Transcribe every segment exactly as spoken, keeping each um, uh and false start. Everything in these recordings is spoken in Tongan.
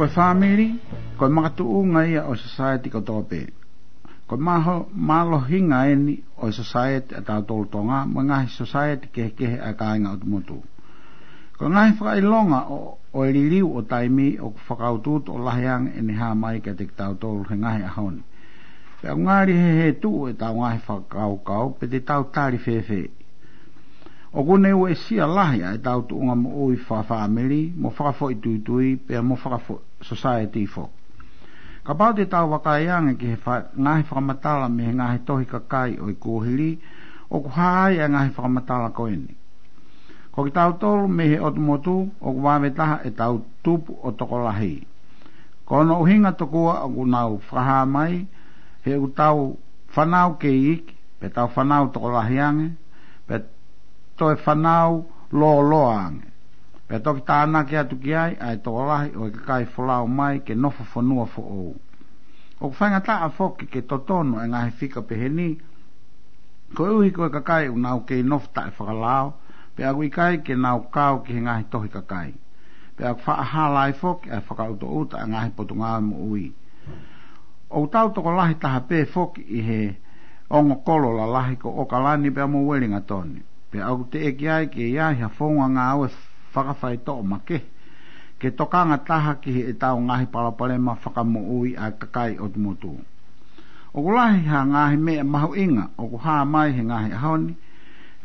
Ko e fāmili, ko e makatuʻunga ia ʻo e sosaieti kotoa pē. Ko e maho-, mālohinga eni ʻo e sosaieti ʻatautolu Tonga, mo e ngaahi sosaieti kehekehe ʻa e kāinga ʻotu motu. Ko e ngaahi fakaʻilonga ʻo, ʻo e liliu ʻo taimi ʻoku fakautuutu ʻo lahi ange ʻene hā mai kiate kitautolu he ngaahi ʻaho ni. Pea ʻoku ngali hehē tuʻu ʻetau ngaahi fakakaukau pe te tau tali fēfē. ʻOku ne uesia lahi ʻa ʻetau tuʻunga moʻui fakafāmili, mo fakafoʻituitui, pea mo fakafo-, sosaieti foki. Kapau te tau vakai ange ki he fa-, ngaahi fakamatala mei he ngaahi tohi kakai ʻo e kuohili, ʻoku hā ai ʻa e ngaahi fakamatala ko eni. Ko kitautolu mei he ʻotu motu, ʻoku vave taha ʻetau tupu ʻo tokolahi. Ko hono ʻuhinga tokua ʻoku nau fakahā mai, he ʻoku tau fānau kei iiki, pe tau fānau tokolahi ange, pe toe fānau lōloa ange. Pea toki tānaki atu ki ai ʻa e tokolahi ʻo e kakai folau mai ke nofo fonua foʻou. ʻOku faingataʻa foki ke totonu e ngaahi fika pehē ni, koeʻuhi ko e kakai ʻoku nau kei nofo taʻefakalao, pea ʻoku ʻikai ke nau kau ki he ngaahi tohi kakai. Pea ʻoku faʻa hala ai foki ʻa e fakaʻutoʻuta ʻa e ngaahi potungāue moʻui. ʻOku tau tokolahi taha pē foki ʻi he ongo kolo lalahi ko ʻOkalani pea mo Uelingatoni. Pea ʻoku teʻeki ai ke ʻi ai ha founga ngāue fakafaitoʻo makehe ke tokanga taha ki heʻetau ngaahi palopalema fakamoʻui ʻa e kakai ʻotu motu. ʻOku lahi ha ngaahi meʻa mahuʻinga ʻoku hā mai he ngaahi ʻaho ni,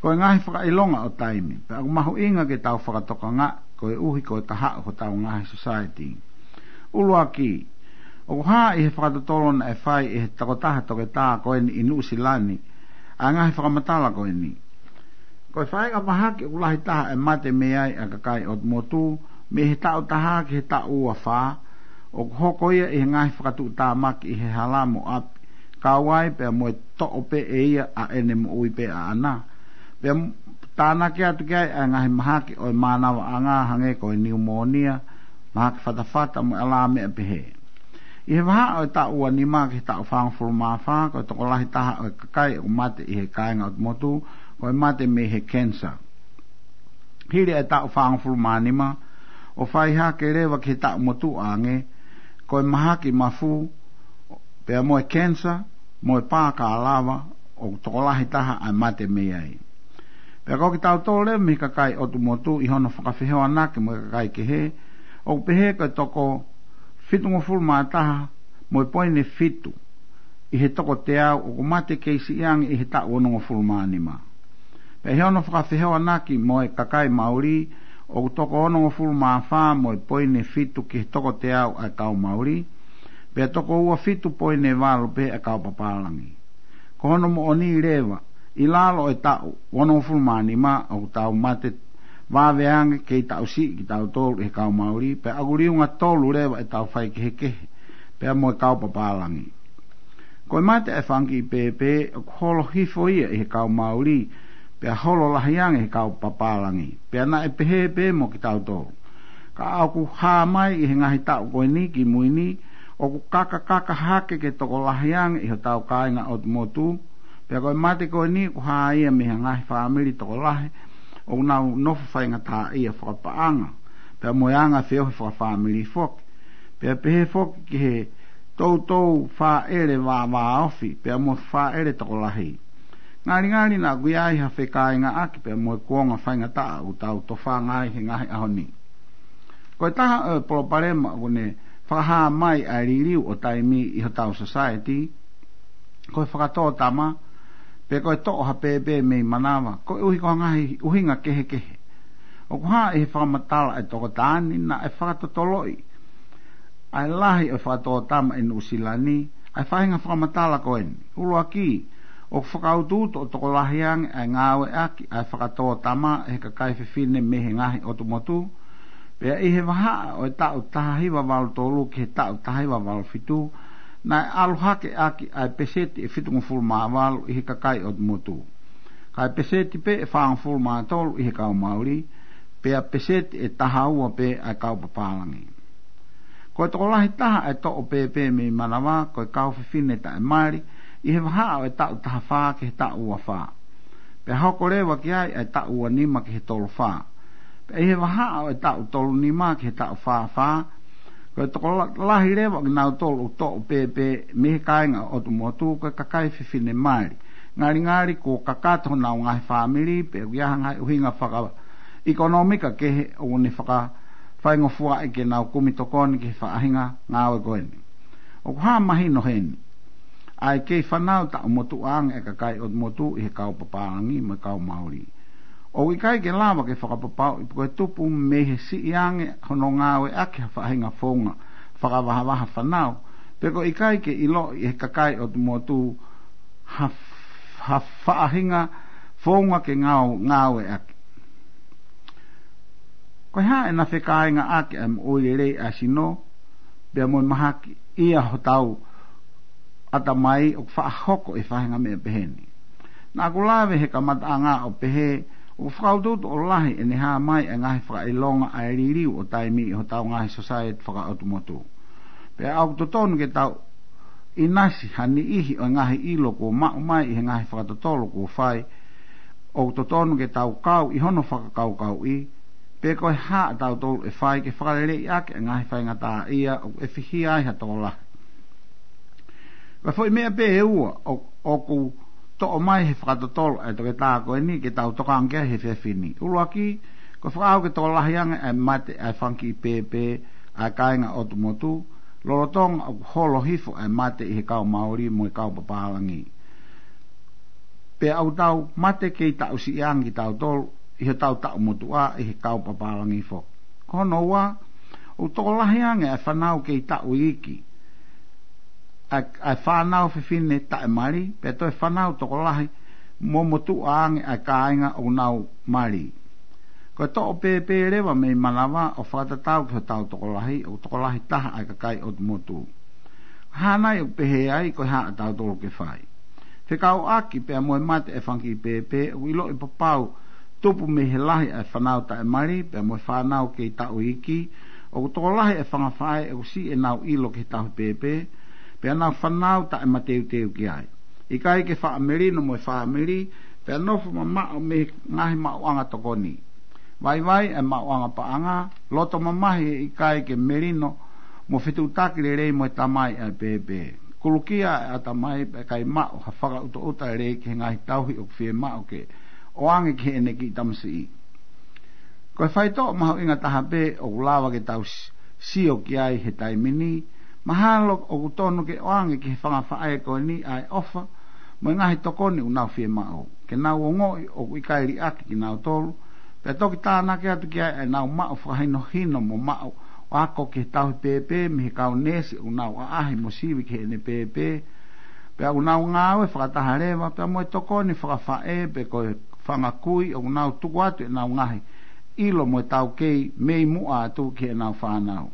ko e ngaahi fakaʻilonga ʻo taimi, pea ʻoku mahuʻinga ke tau fakatokangaʻi koeʻuhi ko e taha ʻo hotau ngaahi sosaieti. ʻUluaki, ʻoku hā ʻi he fakatotolo naʻe fai ʻe he tokotaha toketā ko eni ʻi Nuʻusila ni ʻa e ngaahi fakamatala ko eni. Ko e faʻahinga mahaki ʻoku lahi taha e mate mei ai ʻa e kakai ʻotu motu, mei he taʻu taha ki he taʻu ua fā, ʻoku hoko ia ʻi he ngaahi fakatuʻutāmaki ʻi he hala mo ʻapi, kau ai pea mo e toʻo pē ʻe ia ʻa ʻene moʻui pē ʻaʻana. Pea m-, tānaki atu ki ai ʻa e ngaahi mahaki ʻo e mānavaʻanga hangē ko e niumōnia, mahaki fatafata mo e ʻalā meʻa pehē. ʻI he vahaʻa ʻo e taʻu ua nima ki he taʻu fāngofulu mā fā, ko e tokolahi taha ʻo e kakai ʻoku mate ʻi he kāinga ʻotu motu, ko e mate mei he cancer. Hili e taʻu fāngofulu mā nima, ʻo fai hake leva ki he taʻu motuʻa ange, ko e mahaki mafu, pea mo e cancer, mo e pā kalava, ʻoku tokolahi taha ʻa e mate mei ai. Pea ko kitautolu leva mei he kakai ʻotu motu ʻi hono fakafehoanaki mo e kakai kehe, ʻoku pehē ko e toko fitungofulu mā taha mo e poini fitu ʻi he toko teau ʻoku mate kei siʻi ange ʻi he taʻu onongofulu mā nima. Pea ʻi hono fakafehoanaki mo e kakai Mauli, ʻoku toko onongofulu mā fā mo e poini fitu ki he toko teau ʻa e kau Mauli, pea toko ua fitu poini valu pē ʻa e kau papālangi. Ko hono moʻoni leva, ʻi lalo e taʻu onongofulu mā nima ʻoku tau mate vave ange kei taʻu siʻi kitautolu ʻi he kau Mauli, pea ʻoku liunga tolu leva ʻetau faikehekehe, pea mo e kau papālangi. Ko e mate e fanga kiʻi pēpē, ʻoku holo hifo ia ʻi he kau Mauli, pea holo lahi ange he kau papālangi, pea naʻe pehē pē mo kitautolu. Ka ʻoku hā mai ʻi he ngaahi taʻu ko eni ki mui ni, ʻoku kakakaka hake ke tokolahi ange ʻi hotau kāinga ʻotu motu, pea ko e mate ko eni ʻoku hā ia mei he ngaahi fāmili tokolahi, ʻoku nau nofo faingataʻaʻia fakapaʻanga, pea mo e anga feohi fakafāmili foki. Pea pehē foki ki he toutou fāʻele vāvāofi, pea mo e fāʻele tokolahi. Ngalingali naʻa ʻoku ʻi ai ha fekāingaʻaki, pea mo e kuonga faingataʻa ʻoku tau tofanga ai he ngaahi ʻaho ni. Ko e taha ʻo e palopalema ʻoku ne fakahā mai ʻa e liliu ʻo taimi ʻi hotau society, ko e fakatōtama, pe ko e toʻo ha pēpē mei manava, koeʻuhi ko e ngaahi ʻuhinga kehekehe. ʻOku hā ʻi he fakamatala ʻa e tokotaha ni naʻe fakatotoloʻi ʻa e lahi ʻo e fakatōtama ʻi Nuʻusila ni, ʻa e faʻahinga fakamatala ko eni. ʻUluaki, ʻoku fakautuutu ʻo tokolahi ange ʻa e ngāueʻaki ʻa e fakatōtama ʻe he kakai fefine mei he ngaahi ʻotu motu, pea ʻi he vahaʻa ʻo e taʻu taha hiva valu tolu ki he taʻu taha hiva valu fitu, naʻe ʻalu hake ʻaki ʻa e peseti ʻe fitungofulu mā valu ʻi he kakai ʻotu motu. Kae peseti pē ʻe fāngofulu mā tolu ʻi he kau Mauli, pea peseti ʻe taha ua pē ʻa e kau papālangi. Ko e tokolahi taha ʻa e toʻo pēpē mei manava, ko e kau fefine taʻemali, ʻi he vahaʻa ʻo e taʻu taha fā ki he taʻu ua fā. Pea hoko leva ki ai ʻa e taʻu ua nima ki he tolu fā. Pea ʻi he vahaʻa ʻo e taʻu tolu nima ki he taʻu fā fā, Ko e tokolahi leva ʻo kinautolu ʻoku toʻo pēpē mei he kāinga ʻo ʻOtu Motu ko e kakai fefine mali. Ngalingali kuo kakato honau ngaahi fāmili pe ʻoku ʻi ai ha ngaahi ʻuhinga fakaʻekonōmika kehe ʻoku ne fakafaingofuaʻi ke nau kumi tokoni ki he faʻahinga ngāue ko eni. ʻOku hā mahino heni ʻa e kei fānau taʻu motuʻa ange ʻa e kakai ʻOtu Motu ʻi he kau papālangi mo e kau Mauli. ʻOku ʻikai ke lava ke fakapapauʻi pe ko e tupu mei he siʻi ange hono ngāueʻaki ha faʻahinga founga fakavahavaha fānau, pe ko e ʻikai ke ʻiloʻi ʻe he kakai ʻOtu Motu ha, ha faʻahinga founga ke ngāu, ngāueʻaki. Ko e hā ʻena fekāingaʻaki ʻa e moʻui lelei ʻa e sino, pea mo e mahaki ʻi hotau ʻatamai ʻoku faʻa hoko ʻi he faʻahinga meʻa peheni. Naʻa ku lave he kamataʻanga ʻo pehē, ʻoku fakautuutu ʻo lahi ʻene hā mai ʻa e ngaahi fakaʻilonga ʻa e liliu ʻo taimi ʻi hotau ngaahi sosaieti fakaʻotu motu. Pea ʻoku totonu ke tau ʻinasi ha niʻihi ʻo e ngaahi ʻilo kuo maʻu mai ʻi he ngaahi fakatotolo kuo fai, ʻoku totonu ke tau kau ʻi hono fakakaukauʻi, pe ko e hā ʻa tautolu ʻe fai ke fakaleleiʻaki ʻa e ngaahi faingataʻaʻia ʻoku ʻefihia ai ha tokolahi. Ko e foʻi meʻa pē ʻe ua ʻo, ʻoku toʻo mai he fakatotolo ʻa e toketā ko eni ke tau tokanga ki ai he efiafi ni. ʻUluaki, ko e fakaʻau ke tokolahi ange ʻa e mate ʻa e fanga kiʻi pēpē ʻa e kāinga ʻOtu Motu, lolotonga ʻoku holo hifo ʻa e mate ʻi he kau Mauli mo e kau papālangi. Pea ʻoku tau mate kei taʻu siʻi ange kitautolu ʻi hotau taʻu motuʻa ʻi he kau papālangi foki. Ko hono ua, ʻoku tokolahi ange ʻa e fānau kei taʻu iiki, ʻa e, ʻa e fānau fefine taʻemali, pea toe fānau tokolahi mo motuʻa ange ʻa e kāinga ʻoku nau mali. Ko e toʻo pēpē leva mei manava ʻo fakatatau ki hotau tokolahi, ʻoku tokolahi taha ʻa e kakai ʻOtu Motu. Hā nai ʻoku pehē ai, ko e hā ʻa tautolu ke fai? Fekauʻaki pea mo e mate ʻa e fanga kiʻi pēpē, ʻoku ʻiloʻi pau pau tupu mei he lahi ʻa e fānau taʻemali, pea mo e fānau kei taʻu iiki, ʻoku tokolahi ʻa e fanga faʻē ʻoku siʻi ʻenau ʻilo ki he tauhi pēpē, pea nau fānau taʻemateuteu ki ai. ʻIkai ke faʻa melino mo e fāmili, pea nofo mamaʻo mei he ngaahi maʻuʻanga tokoni. Vaivai ʻa e maʻuʻanga paʻanga, loto mamahi he ʻikai ke melino mo fetuʻutaki lelei mo e tamai ʻa e pēpē. Kulukia ʻa e ʻatamai pea ʻikai maʻu ha fakaʻutoʻuta lelei ki he ngaahi tauhi ʻoku fiemaʻu ke ʻoange ki heʻene kiʻi tamasiʻi. Ko e faitoʻo mahuʻinga taha pē ʻoku lava ke tau s-, sio ki ai he taimi ni, mahalo ʻoku tonu ke ʻoange ki he fanga faʻē ko eni ʻa e ʻofa mo e ngaahi tokoni ʻoku nau fiemaʻu. Ke nau ongoʻi ʻoku ʻikai liʻaki kinautolu, pea toki tānaki atu ki ai ʻenau maʻu fakahinohino mo maʻu ako ki he tauhi pēpē mei he kau neesi ʻoku nau ʻaʻahi mo sivi ki heʻene pēpē, pea ʻoku nau ngāue fakataha leva, pea mo e tokoni fakafaʻē pe ko e fanga kui ʻoku nau tuku atu ʻenau ngaahi ʻilo mo e taukei mei muʻa atu ki heʻenau fānau.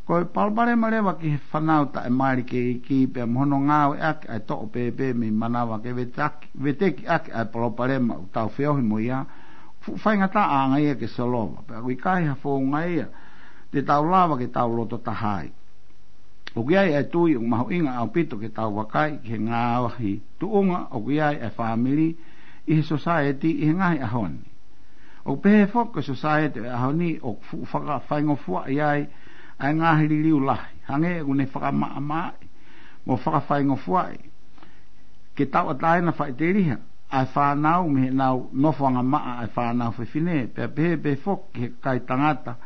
Ko e palopalema leva ki he fānau taʻemali kei iiki pea mo hono ngāueʻaki ʻa e toʻo pēpē mei manava ke vetaki-, vetekiʻaki ʻa e palopalema ʻoku tau feohi mo ia, fuʻu faingataʻa ange ia ke solova, pea ʻoku ʻikai ha founga ia te tau lava ke tau loto taha ai. ʻOku ʻi ai ʻa e tui ʻoku mahuʻinga ʻaupito ke tau vakai ki he ngaahi tuʻunga ʻoku ʻi ai ʻa e fāmili ʻi he sosaieti ʻi he ngaahi ʻaho ni. ʻOku pehē foki ko e sosaieti ʻo e ʻaho ni ʻoku fuʻu fakafaingofuaʻi ai ʻa e ngaahi liliu lahi, hangē ʻoku ne fakamaʻamaʻaʻi mo fakafaingofuaʻi ke tauʻatāina faʻiteliha ʻa e fānau mei heʻenau nofoʻanga maʻa ʻa e fānau fefine, pea pehē pē foki ki he kakai tangata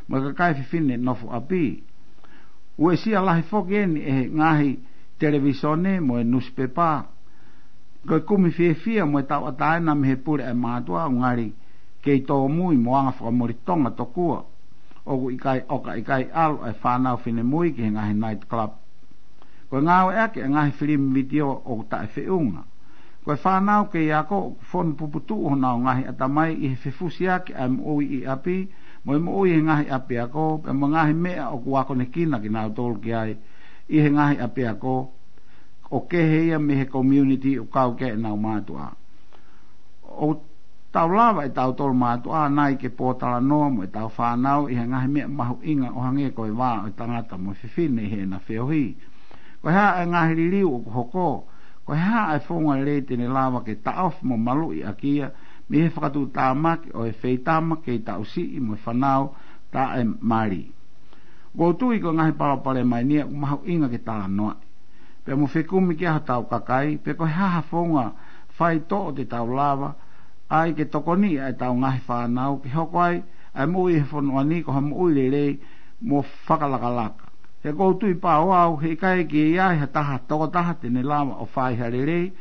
mo e kakai fefine nofo ʻapi. Uesia lahi foki eni ʻe he ngaahi televīsone mo e nusipepa. Ko e kumi fiefia mo e tauʻatāina mei he pule ʻa e mātuʻa ʻoku ngali kei tōmui mo anga fakamolitonga tokua ʻoku ʻikai, ʻoka ʻikai ʻalu ʻa e fānau finemui ki he ngaahi night club. Ko e ngāueʻaki ʻa e ngaahi filimi vitiō ʻoku taʻefeʻunga. Ko e fānau kei ako ʻoku fonu puputuʻu honau ngaahi ʻatamai ʻi he fefusiaki ʻa e moʻui ʻi ʻapi, mo e moʻui ʻi he ngaahi ʻapiako, pea mo e ngaahi meʻa ʻoku akonekina kinautolu ki ai ʻi he ngaahi ʻapiako, ʻo kehe ia mei he community ʻoku kau ki ai ʻenau mātuʻa. ʻOku tau lava ʻe tautolu mātuʻa nai ke pōtalanoa mo ʻetau fānau ʻi he ngaahi meʻa mahuʻinga ʻo hangē ko e vā ʻo e tangata mo e fefine ʻi heʻena feohi. Ko e hā ʻa e ngaahi liliu ʻoku hoko? Ko e hā ʻa e founga lelei te ne lava ke taʻofi mo maluʻi ʻaki ia mei he fakatuʻutāmaki ʻo e feitama kei taʻu siʻi mo e fānau taʻemali? ʻOku ou tui ko e ngaahi palopalema ʻeni ia ʻoku mahuʻinga ke talanoaʻi pea mo fekumi ki ai hotau kakai, pe ko e hā ha founga faitoʻo te tau lava ai ke tokoniʻi ʻa ʻetau ngaahi fānau ke hoko ai ʻa e moʻui he fonua ni ko ha moʻui lelei mo fakalakalaka. He ʻoku ou tui pau au he ʻikai ke ʻi ai ha taha tokotaha te ne lava ʻo fai ha lelei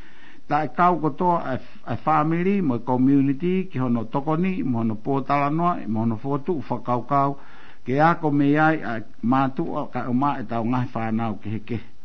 taʻe kau kotoa ʻa e, ʻa e fāmili mo e community ki hono tokoniʻi mo hono pōtalanoaʻi mo hono fokotuʻu fakakaukau ke ako mei ai ʻa e mātuʻa kae ʻumaʻā ʻetau ngaahi fānau kehekehe.